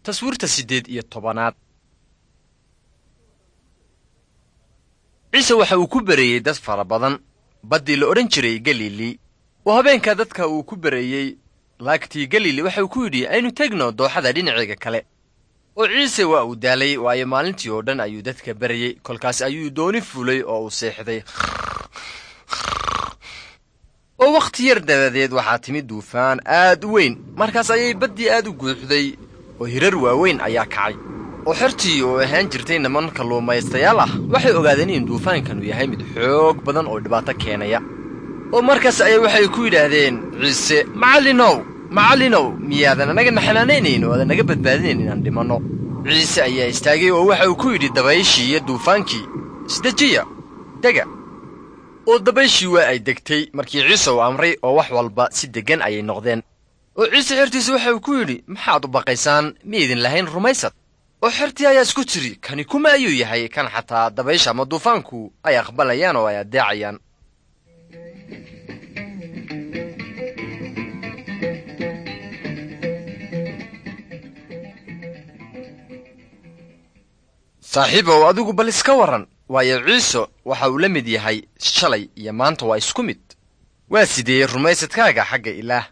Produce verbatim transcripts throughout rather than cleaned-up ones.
Taswiirta siddeed iyo tobanaad. Ciise waxa uu ku bereeyey dad fara badan baddii la odhan jiray Galili, oo habeenka dadka uu ku bereeyey laagtii Galili waxa uu ku yidhi, aynu tegno dooxada dhinaceega kale. Oo Ciise waa uu daalay, waayo maalintii oo dhan ayuu dadka berayey. Kolkaas ayuu dooni fuulay oo uu seexday. Oo wakhti yar dabadeed waxaa timid duufaan aad u weyn, markaas ayay baddii aad u guuxday oo hirar waaweyn ayaa kacay. Oo xertii oo ahaan jirtay niman kalluumaystayaal ah waxay ogaadeen in duufaankanu yahay mid xoog badan oo dhibaato keenaya. Oo markaas ayay waxay ku yidhaahdeen Ciise, macallinow, macallinow, miyaadan annaga xanaanaynayn oo aadan naga badbaadinayn inaan dhimanno? Ciise ayaa istaagay oo waxa uu ku yidhi dabayshii iyo duufaankii, isdejiya, dega. Oo dabayshii waa ay degtay markii Ciise uu amray, oo wax walba si deggan ayay noqdeen. Oo Ciise xertiisa waxa uu ku yidhi, maxaad u baqaysaan? Miyaydin lahayn rumaysad? Oo xertii ayaa isku tiri, kani kuma ayuu yahay kan xataa dabaysha ama duufaanku ay aqbalayaan oo ay addeecayaan? Saaxiibow, adigu bal iska warran, waayo Ciise waxa uu la mid yahay shalay iyo maanta, waa isku mid. Waa sidee rumaysadkaaga xagga Ilaah?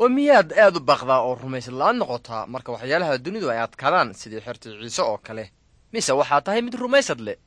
Oo miyaad aad u baqdaa oo rumaysad la'aan noqotaa marka waxyaalaha dunidu ay adkaadaan sidii xertii Ciise oo kale, mise waxaa tahay mid rumaysad leh?